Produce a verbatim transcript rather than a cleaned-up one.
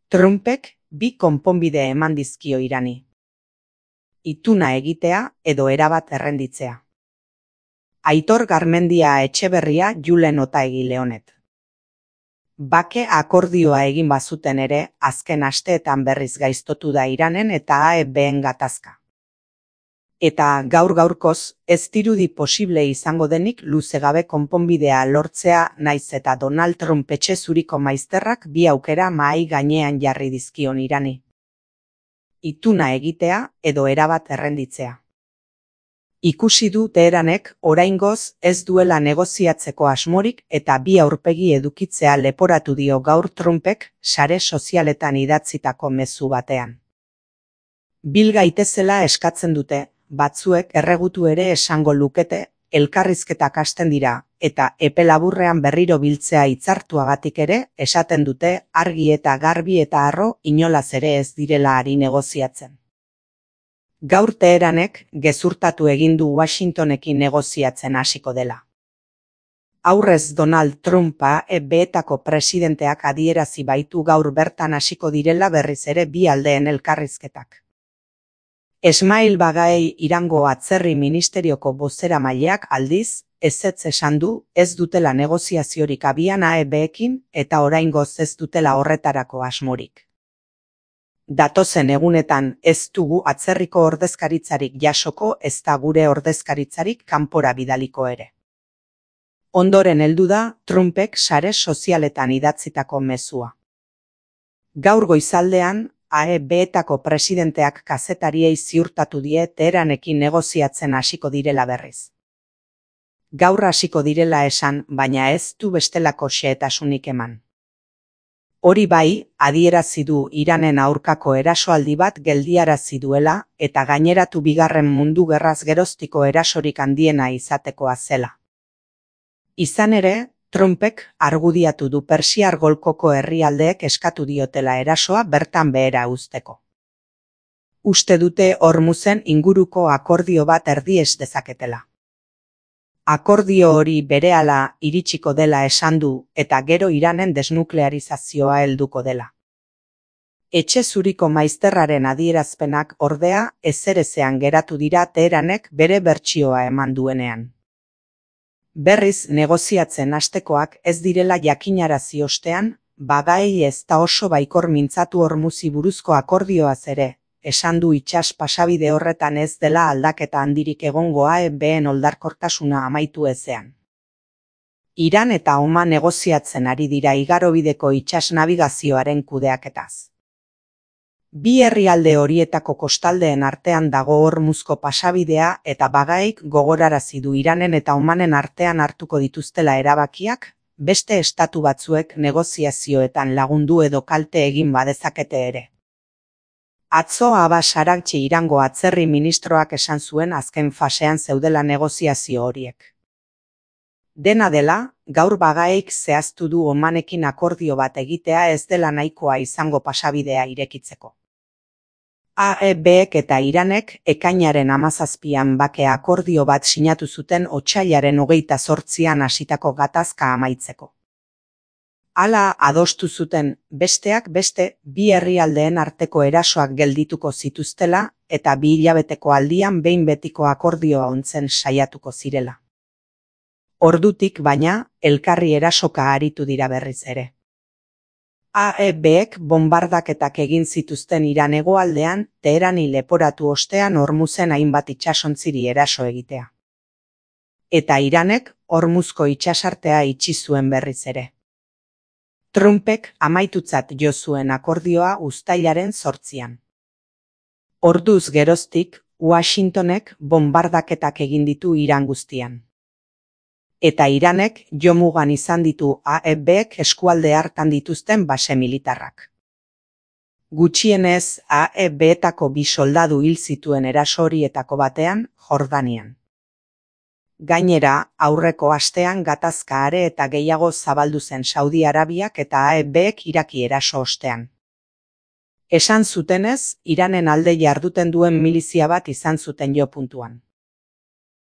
Trumpek bi konponbide eman dizkio Irani. Ituna egitea edo erabat errenditzea. Aitor Garmendia Etxeberria Julen Otaegi Leonet. Bake akordioa egin bazuten ere, azken asteetan berriz gaiztotu da Iranen eta A E B-en gatazka. Eta gaur gaurkoz, ez dirudi posible izango denik luzegabe konponbidea lortzea naiz eta Donald Trump etxe zuriko maizterrak bi aukera mahai gainean jarri dizkion Irani. Ituna egitea edo erabat errenditzea. Ikusi du Teheranek oraingoz ez duela negoziatzeko asmorik eta bi aurpegi edukitzea leporatu dio gaur Trumpek sare sozialetan idatzitako mezu batean. Bil gaitezela eskatzen dute, batzuek erregutu ere esango lukete, elkarrizketak hasten dira, eta epe laburrean berriro biltzea hitzartuagatik ere esaten dute argi eta garbi eta harro inolaz ere ez direla ari negoziatzen. Gaur Teheranek gezurtatu egin du Washingtonekin negoziatzen hasiko dela. Aurrez Donald Trump A E B-etako presidenteak adierazi baitu gaur bertan hasiko direla berriz ere bi aldeen elkarrizketak. Esmail Baghai Irango atzerri ministerioko bozeramaileak aldiz, ezetz esan du ez dutela negoziaziorik abian A E B-ekin eta oraingoz ez dutela horretarako asmorik. Datozen egunetan ez dugu atzerriko ordezkaritzarik jasoko ezta gure ordezkaritzarik kanpora bidaliko ere. Ondoren heldu da Trumpek sare sozialetan idatzitako mezua. Gaur goizaldean, A E B-etako presidenteak kazetariei ziurtatu die Teheranekin negoziatzen hasiko direla berriz. Gaur hasiko direla esan, baina ez du bestelako xehetasunik eman. Hori bai, adierazi du Iranen aurkako erasoaldi bat geldiarazi duela eta gaineratu bigarren mundu gerraz geroztiko erasorik handiena izatekoa zela. Izan ere, Trumpek argudiatu du Persiar golkoko herrialdeek eskatu diotela erasoa bertan behera uzteko. Uste dute Hormuzen inguruko akordio bat erdies dezaketela. Akordio hori berehala iritsiko dela esan du eta gero Iranen desnuklearizazioa helduko dela. Etxe zuriko maizterraren adierazpenak ordea ezerezean geratu dira Teheranek bere bertsioa eman duenean. Berriz negoziatzen hastekoak ez direla jakinarazi ostean, Baghai ez da oso baikor mintzatu Hormuzi buruzko akordioaz ere, esan du itsas pasabide horretan ez dela aldaketa handirik egongo A E B-en oldarkortasuna amaitu ezean. Iran eta Oman negoziatzen ari dira igarobideko itsas nabigazioaren kudeaketaz. Bi herrialde horietako kostaldeen artean dago Hormuzko pasabidea eta Baghaik gogorarazi du Iranen eta Omanen artean hartuko dituztela erabakiak, beste estatu batzuek negoziazioetan lagundu edo kalte egin badezakete ere. Atzo Abbas Araghchi Irango atzerri ministroak esan zuen azken fasean zeudela negoziazio horiek. Dena dela, gaur Baghaik zehaztu du Omanekin akordio bat egitea ez dela nahikoa izango pasabidea irekitzeko. A E B-ek eta Iranek ekainaren hamazazpian bake akordio bat sinatu zuten otsailaren hogeita zortzian hasitako gatazka amaitzeko. Hala adostu zuten, besteak beste, bi herrialdeen arteko erasoak geldituko zituztela eta bi hilabeteko aldian behin betiko akordioa ontzen saiatuko zirela. Ordutik baina, elkarri erasoka aritu dira berriz ere. A E B-ek bonbardaketak egin zituzten Iran hegoaldean, Teherani leporatu ostean Hormuzen hainbat itsasontziri eraso egitea. Eta Iranek Hormuzko itsasartea itxi zuen berriz ere. Trumpek amaitutzat jo zuen akordioa uztailaren zortzian. Orduz geroztik, Washingtonek bonbardaketak egin ditu Iran guztian. Eta Iranek jomugan izan ditu A E B-ek eskualde hartan dituzten base militarrak. Gutxienez A E B-etako bi soldadu hil zituen eraso horietako batean, Jordanian. Gainera, aurreko astean gatazka are eta gehiago zabaldu zen Saudi Arabiak eta A E B-ek Iraki eraso ostean. Esan zutenez, Iranen alde jarduten duen milizia bat izan zuten jo puntuan.